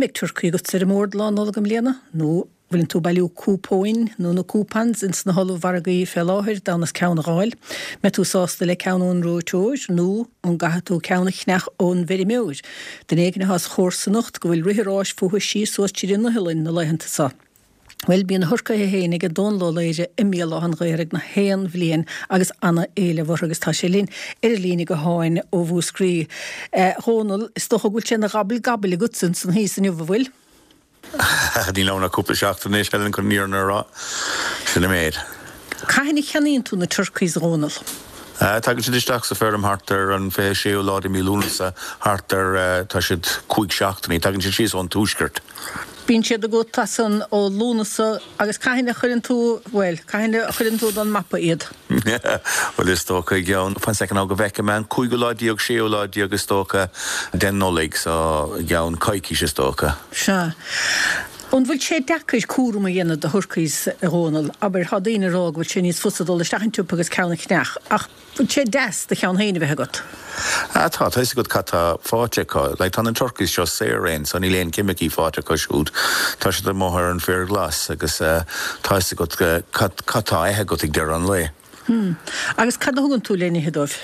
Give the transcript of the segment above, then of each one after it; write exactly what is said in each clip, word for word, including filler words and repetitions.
An mbeidh turcaí agat ar an mbord Lá Nollag i mbliana? Nó bhfuileann tú bailiú cúpóin nó na coupons ins na hollmhargaí fé láthair d'fhonn is ceann a dh'fháil? Mbeidh tú sásta le ceann ón reoiteoir nó an gcaithfidh tú ceann a cheannach ón bhfeirmeoir? Duine éigin atá sa chomharsanacht go bhfuil rith an ráis fúthu síos suas tríd an iothlainn na laethanta seo. Bhuel, bíonn na turcaithe féin ag Dónal Ó Laoghaire i mBéal Átha an Ghaorthaidh na haon bhliain agus ana-éileamh orthu agus tá sé linn ar an líne gutháin ó Mhúscraí. A Dhónaill, is dócha go bhfuil sé ina ghabble gabble agatsa ansan thíos inniu, an bhfuil? Níl ann ach cúpla seachtain anois, Helen, chun an fhírinne a rá. Sin an méid. Cathain a cheannaíonn tú na turkeys, a Dhónaill? Tagann siad isteach sa feirm thart ar an fiche séú lá de mí Lúnasa, thart ar, tá siad cúig seachtainí, tagann siad síos ón tuaisceart. Bíonn siad agat as an ó Lúnasa agus cathain a chuireann tú, bhuel, cathain a chuireann tú don mapa iad? Bhuel, is dócha i gceann, fan soicind now go bhfeicfidh mé, an cúigiú lá déag, séú lá déag is dócha den Nollaig, so i gceann coicís is dócha. Sea. An bhfuil sé deacair cúram a dhéanamh de thurcays, a Dhónaill? Abair, tá daoine ag rá go bhfuil sé níos fusa dul isteach an tsiopa agus ceann a cheannach, ach bhfuil sé deas do cheann féin a bheith agat? Ah tá, tá fhios agat cad tá faighte acu. Like, tá na turkeys seo saor-raon, so níl aon ceimicí faighte acu siúd. Tá siad amuigh ar an bhféar glas agus tá fhios agat cad, cad tá ithe agat ag deireadh an lae. Hmm. Agus cad a thugann tú le n-ithe dóibh?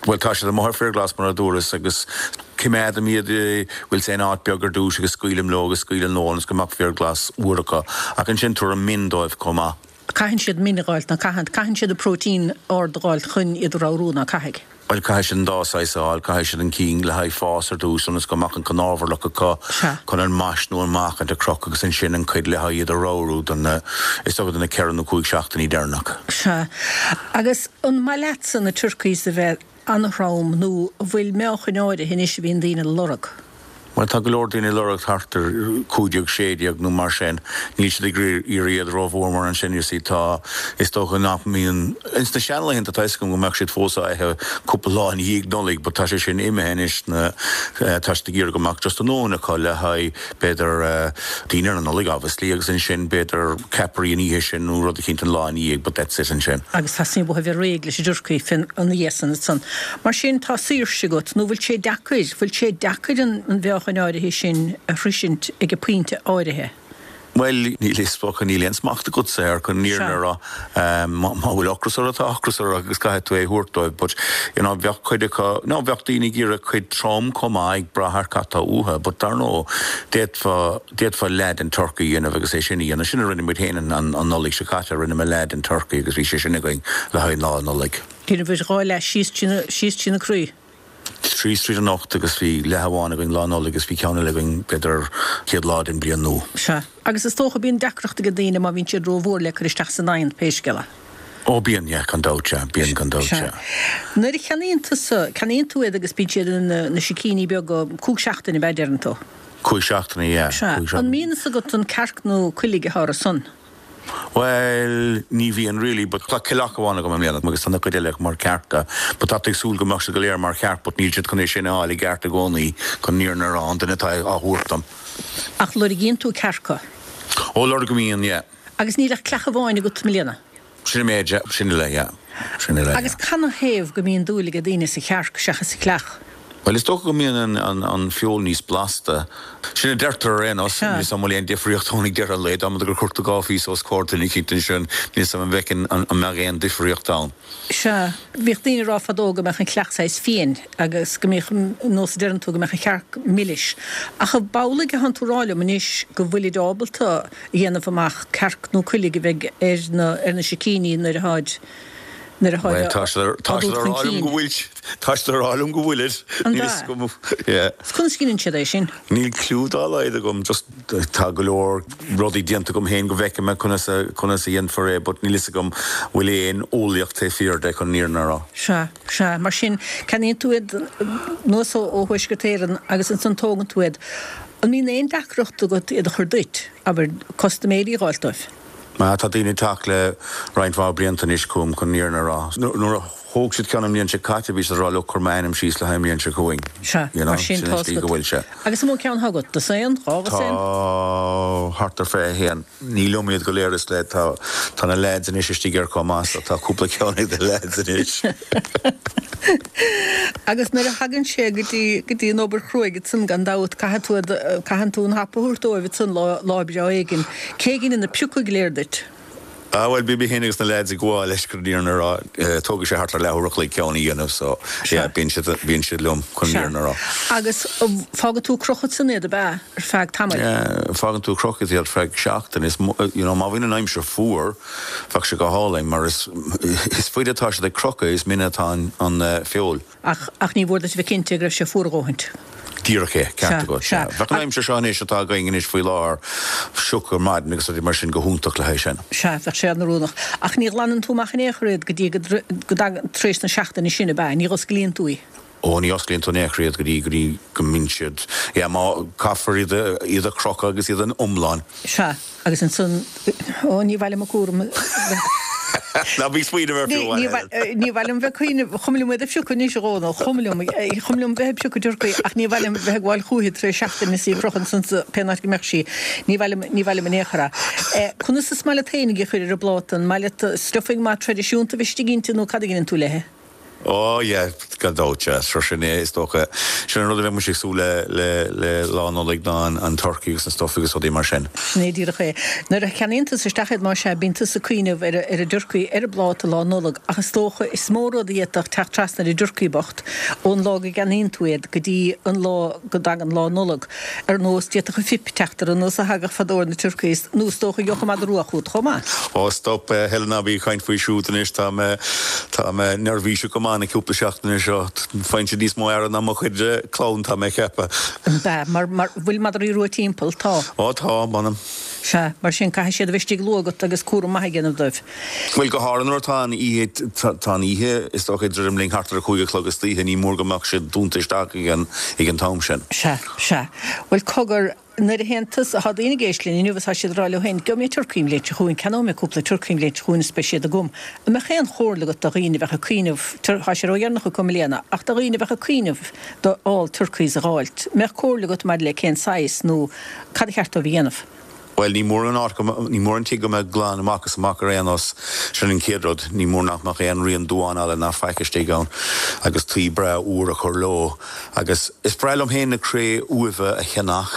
Bhuel, tá siad amuigh ar féar glas mar a dúras agus coimeádaim iad, bhfuil sé in áit beag ar dtús agus scaoilim leo agus scaoilim leo ionas go mbeadh féar glas úr acu. Ach ansin tabhraim min dóibh chomh maith. Caitheann siad min a dh'fháilt, ná caitheann, caitheann siad an próitéin ard a dh'fháilt chun iad a ramhrú, ná caithfidh? Bhuel, caithfidh siad an dá saghas a fháil, caithfidh siad an cinn le haghaidh fás ar dtús ionas go mbeadh an cnámharlach acu chun an mais nó an meáchaint a chrochadh agus ansin an cuid le haghaidh iad a ramhrú don na, is dócha do na ceithre nó cúig seachtainí deireanach. Sea. Agus an maith leatsa na turkeys a bheith an-throm nó an bhfuil meáchain áirithe anois a bhíonn daoine ag lorg? Bhuel, tá go leor daoine ag lorg thart ar cúig déag, sé déag nó mar sin. Níl siad ag iarraidh iad rómhór mar ansin, you see, tá, is dócha nach mbíonn, ins na seanlaethanta tá 'fhios agam go mbeadh siad fós á ithe cúpla lá i ndiaidh Nollaig but tá sé sin imithe anois, na, tá siad ag iarraidh go mbeadh just a ndóthain acu le haghaidh, b'fhéidir, dinnéar na Nollag obviously agus ansin b'fhéidir ceapairí an oíche sin nó rud eicínt an lá ina dhiaidh but that's it ansin. Agus theastaíonn uathu a bheith réidh leis an dturcaí fén, ina dhiaidh san ansan. Mar sin tá saoirse agat nó bhfuil sé deacair, bhfuil sé deacair an, an mheáchain áirithe sin a shroisint ag an pointe áirithe? Bhuel, níl is dócha, níl aon smacht agatsa air chun an fhírinne a rá. Má bhfuil ocras orthu, tá ocras orthu agus caithfidh tú é a thabhairt dóibh. But, you know, bheadh cuid acu, no, bheadh daoine ag iarraidh cuid trom chomh maith, ag brath ar cad tá uathu. But dar ndóigh, d'fhéadfá, d'fhéadfá leath den turcaí a dhéanamh agus é sin a dhéanamh. Sin a rinne muid féin an, an Nollaig seo caite, rinne mé leath den turcaí agus bhí sé sin againn le haghaidh Lá Nollag. Dheineabhair dhá leath síos trí na, síos trí na croí. Síos tríd an ucht agus bhí leath amháin againn Lá Nollag agus bhí ceann eile againn b'fhéidir chéad lá den bhliain nua. Sea. Agus is dócha bíonn deacracht ag daoine má bhíonn siad rómhór le cur isteach san oigheann, pé scéal é. Ó bíonn, yeah, gan dabht, yeah, bíonn gan dabht, Sea. yeah. Nuair a cheannaíonn tusa, ceannaíonn tú iad agus bíonn siad ina na sicíní beaga cúig seachtaine ab ea deireann tú? Cúig seachtaine, yeah, Sea. cúig An seachtaine. mbíonn fhios agat an cearc nó coiligh atá orthu san? Bhuel, ní bhíonn really, but tá coileach amháin agam i mbliana agus tá na cuid eile mar chearca, but tá tú ag súil go mbeadh siad go léir mar chearc but níl siad chun é sin a fháil i gceart i gcónaí chun an fhírinne a rá, an duine atá á thabhairt dom. Ach lorgaíonn tú cearca? Ó, lorgaím, yeah. Agus níl ach creach amháin agat i mbliana? Sin an méid, yeah, sin uile, yeah, sin uile, yeah. Agus canathaobh go mbíonn dúil ag daoine sa chearc seachas sa chleach? Bhuel, is dócha go mbíonn an an feoil níos blasta. Sin a deirtear ar aon nós. Níl 'fhios a'm an bhfuil aon difríocht ann ag deireadh an lae. Dá mba gur chuir tú dhá phíosa os comhair duine eicínt ansin, níl 'fhios a'm an bhfeicfinn an mbeadh aon difríocht ann. Sea, bhíodh daoine ag rá fadó go mbeadh an chleach saghas fiain agus go mbíodh, nós a deireann tú, go mbeadh an chearc milis. Ach ab amhlaidh atánn tú ag rá liom anois go bhfuilid ábalta a dhéanamh amach cearc nó coiligh a bheidh ar na ar na sicíní nuair atáid nuair atáid Bhuel, tá siad á tá siad dtabhairt ag chun rá liom cinn. go bhfuil tá siad ag rá liom go bhfuilid. An Níl ea? 'fhios agam, yeah. Is conas a chinneann siad é sin? Níl cliú dá laghad agam, just tá go leor rudaí déanta agam féin go bhfeicfidh mé conas a conas a dhéanfar é but níl 'fhios agam bhfuil aon eolaíocht taobh thiar de chun an fhírinne a rá. Sea, sea. Mar sin, ceannaíonn tú iad anuas ó ó Thuaisceart Éireann agus ansan tógann tú iad. An mbíonn aon deacracht agat iad a chur duit, abair, custaiméirí a dh'fháilt dóibh? Má tá daoine ag teacht le roinnt mhaith blianta anois chugam chun an fhírinne a rá. Nuair a thóg siad ceann an bhliain seo caite bhí siad ag rá look cuir m'ainm síos le haghaidh an bhliain seo chugainn. Sea, You know, mar sin sin tá an slí go bhfuil sé. Agus an mó ceann atá agat? Dosaen? Dhá dhosaen? Tá thart ar fiche a haon. Ní liom iad go léir is le tá tá na lads anois istigh air chomh maith so tá cúpla ceann ag na lads anois. Agus nuair a thagann sé go dtí go dtí an obair chruaidh ansan gan dabht caithfidh tú caitheann tú an hap a thabhairt dóibh ansan lá lá breá éigin. Cé a dheineann na piocadh go léir duit? Ah bhuel bím féin agus na lads ag gabháil leis chun an fhírinne a rá. Tógann sé thart ar leathuair a chloig ceann a dhéanamh so yeah bíonn siad bíonn siad liom chun an fhírinne a rá. Agus fágann tú ag crochadh ansan iad ab ea ar feadh tamaill? Yeah, fágann tú ag crochadh iad ar feadh seachtain. Is you know má bhíonn an aimsir fuar bheadh sé go hálainn mar is is faide atá siad ag crochadh is mine atá an an feoil. Ach ach ní mhór duit a bheith cinnte go raibh sé fuar a dhóthaint. Díreach é, ceart agat, sea. Bheadh an aimsir seo anois atá againn anois faoi láthair, sioc ar maidin agus rudaí mar sin go hiontach le haghaidh sin. Sea, bheadh sé an-oiriúnach. Ach ní ghlanann tú amach in aon chor iad go dtí go dtagann tar éis na seachtaine sin, ab ea? Ní osclaíonn tú í? Ó, ní osclaíonn tú in aon chor iad go dtí go dtí go mbíonn siad, yeah, má caithfear iad a iad a chrochadh agus iad in iomlán. Sea, agus ansan, ó, ní mhaith liom an cúram a Ná bí ag smaoineamh air fiú amháin, Helen. Ní mhaith liom bheith ag cuimhneamh, chuma liom iad a phiocadh anois, a Dhónaill, chuma liom, chuma liom bheith ag piocadh turcaí ach ní mhaith liom bheith ag gabháil chúithi tar éis seachtaine is í ag crochadh ansan sa pé áit go mbeadh sí. Ní mhaith liom, ní mhaith liom in aon chor é. Conas is maith leat féinig í a chur ar an bpláta? An maith leat stuffing maith traidisiúnta a bheith istigh inti nó cad a dheineann tú léi? Ó yeah, gan dabht, sea. Sure sin é, is dócha. Sin an rud a bheadh mise ag súil le, le, le Lá Nollag ná an, an turcaí agus an stuffing agus rudaí mar sin. Sin é díreach é. Nuair a cheannaíonn tusa isteach iad, más ea, bíonn tusa ag cuimhneamh ar, ar an dturcaí ar an bpláta Lá Nollag ach is dócha is mó rud a d'fhéadfadh teacht trasna ar an dturcaí bocht ón lá go gceannaíonn tú iad go dtí an lá go dtagann Lá Nollag. Ar nós, d'fhéadfadh an fuip teacht ar an nós a thagadh fadó ar na turcaís nó is dócha gheobhadh an madra rua chugat chomh maith. Ó stop, Helen, ná bí ag caint faoi siúd anois, tá mé, tá mé neirbhíseach go maith na cúpla seachtaine seo. Faigheann siad níos mó aire ná mo chuid clann, tá mé ag ceapadh. Ab ea? Mar, mar, bhfuil madraí rua timpeall? Tá. Ó tá, m'anam. Sea, mar sin caithfidh siad a bheith istigh luath agat agus cúram maith a dhéanamh dóibh. Bhuel, go háirithe nuair atá an oíche, tá an oíche, is dócha, ag druidim linn thart ar a cúig a chlog istoíche, ní mór go mbeadh siad dúnta isteach ag an, ag an t-am sin. Sea, sea. Bhuel, cogar, Nuair a théann tusa, tá daoine ag éisteacht linn inniu agus tá siad ag rá leo féin, 'Gheobhaidh mé turcaí an bhliain seo chugainn, ceannóidh mé cúpla turcaí an bhliain seo chugainn is beidh siad agam. An mbeadh aon chomhairle agat do dhaoine a bheadh ag cuimhneamh, tá sé ródheireanach acu i mbliana, ach do dhaoine a bheadh ag cuimhneamh d'fháil turcaís a dh'fháilt, mbeadh comhairle agat maidir le cén saghas nó cad a cheart dóibh a dhéanamh? Bhuel, ní mór an áit go, ní mór an tigh go mbeadh glan amach is amach ar aon nós. Sin an chéad rud. Ní mór nach mbeadh aon rian duáin eile ná faic istigh ann agus tuí breá úr a chur leo. Agus is breá liom féin na cré-umha a cheannach.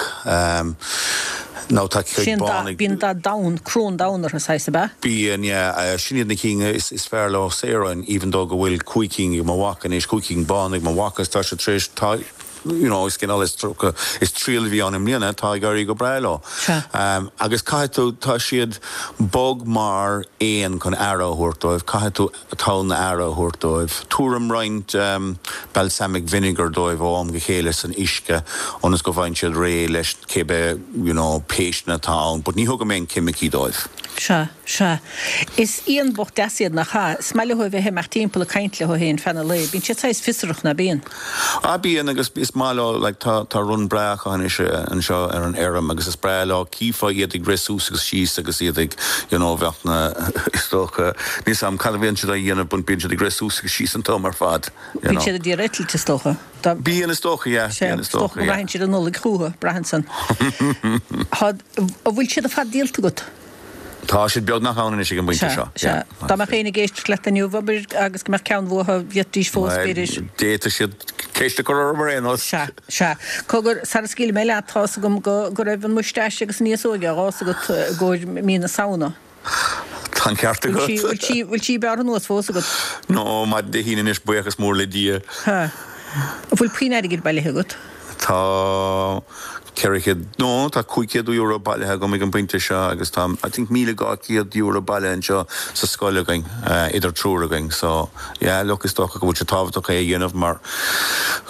Now tá cuid Sin bán ag. Bíonn dath donn, crón donn orthu, saghas, ab ea? Bíonn, yeah. Sin iad na cinn is is fearr leo saoráin, even though go bhfuil cúig cinn ag mo mhac anois, cúig cinn bán ag mo mhac agus tá siad tar éis, tá, you know, is cineál is tríocha, is triail a bhí ann i mbliana, tá ag éirí go breá leo. Sea. Agus caithfidh tú, tá siad bog mar éan chun aire a thabhairt dóibh, caithfidh tú tonn aire a thabhairt dóibh. Tabhraim roinnt balsamic vinegar dóibh ó am go chéile san uisce ionas go bhfaigheann siad réidh leis cibé you know péisteanna atá ann but ní thugaim aon ceimicí dóibh. Sea, sea. Is éan bocht deas iad, nach ea? Is maith leo a bheith ag imeacht timpeall ag caint leo féin feadh an lae. Bíonn siad saghas fiosrach, ná bíonn? Ah bíonn agus is maith leo like tá tá run breá acu anois anseo ar an fheirm agus is breá leo cífeá iad ag rith suas agus síos agus iad ag you know bheadh na is dócha níl 'fhios a'm cad a bhíonn siad á dhéanamh but bíonn siad ag rith suas agus síos an t-am ar fad you Bíonn know. siad ag iarraidh eitilt is dócha. Dá Bíonn is dócha yeah Sea, bíonn is is dócha dócha go yeah. mbraitheann siad an Nollaig chucu, braitheann san. Tá an bhfuil siad ar fad díolta agat? Tá siad beagnach ann anois ag an bpointe Sea, seo sea. yeah. Dá mbeadh éinne ag éisteacht leat inniu, abair, agus go mbeadh ceann uathu, d'fhéadfaidís fós, Bhuel, b'fhéidir. d'fhéadfadh siad ceist a chur orm ar aon nós. Sea, sea. Cogar, sara scaoilfidh mé leat, tá's agam go, go raibh an mustache agus an fhéasóig á dh'fhás agat i gcomhair mí na Samhna. Tá an ceart Bhfuil sí, agat. bhfuil sí, bhfuil sí bearrtha anuas fós agat? No, maidin Dé hAoine anois, buíochas mór le Dia. Ha. An bhfuil puinn airgid bailithe agat? Tá ceithre chéad, no, tá cúig chéad euro bailithe agam ag an bpointe seo agus tá, I think míle dhá chéad euro bailithe anseo sa scoil againn, idir triúr againn. So, yeah, look, is dócha go bhfuil sé tábhachtach é a dhéanamh mar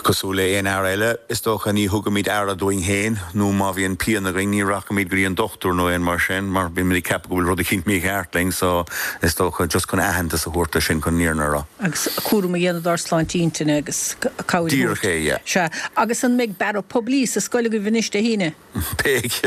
cosúil le aon fhear eile, is dócha ní thugaimid aire dúinn féin nó má bhíonn pian againn ní rachaimid go dtí an dochtúir nó aon mar sin mar bímid ag ceapadh go bhfuil rud eicínt mícheart linn so is dócha just chun aitheantas a thabhairt do sin chun an fhírinne a rá. Agus cúram a dhéanamh dár sláinte intinne agus cabhair a Díreach thabhairt. é, yeah. Sea. Agus an mbeidh bearradh poiblí sa scoil agaibh anois Dé hAoine. Beidh.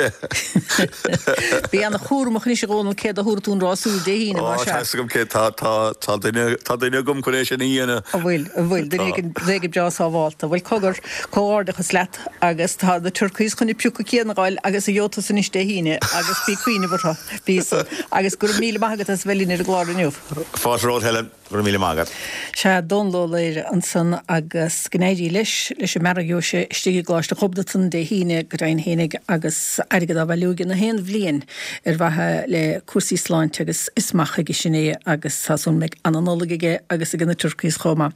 Bí an-chúramach anois a Dhónaill cé a thabharfaidh tú an rásúr Dé hAoine mar sea. Tá fhios agam cé tá tá tá duine tá duine agam chun é sin a dhéanamh. An bhfuil, an bhfuil, duine éigin éigin breá sábhálta. Bhuel cogar, comhghairdeachas leat agus tá na turcaís chun na piocadh céanna a fháil agus a gheobhaidh tusa anois Dé hAoine agus bí ag cuimhneamh orthu, bí san. Agus go raibh míle maith agat as a bheith linn ar an gclár inniu. Fáilte romhat Helen. Go raibh míle maith agat. Sea, Dónal Ó Laoire ansan agus go n-éirí leis, leis an mbearradh a gheobhaidh sé istigh i gColáiste Ghobnatan Dé hAoine go deimhin fhéinig agus airgead á bhailiú aige na haon bhliain ar mhaithe le cúrsaí sláinte agus is maith chuige sin é agus tá súil go mbeidh ana-Nollaig aige agus ag na turcaís chomh maith.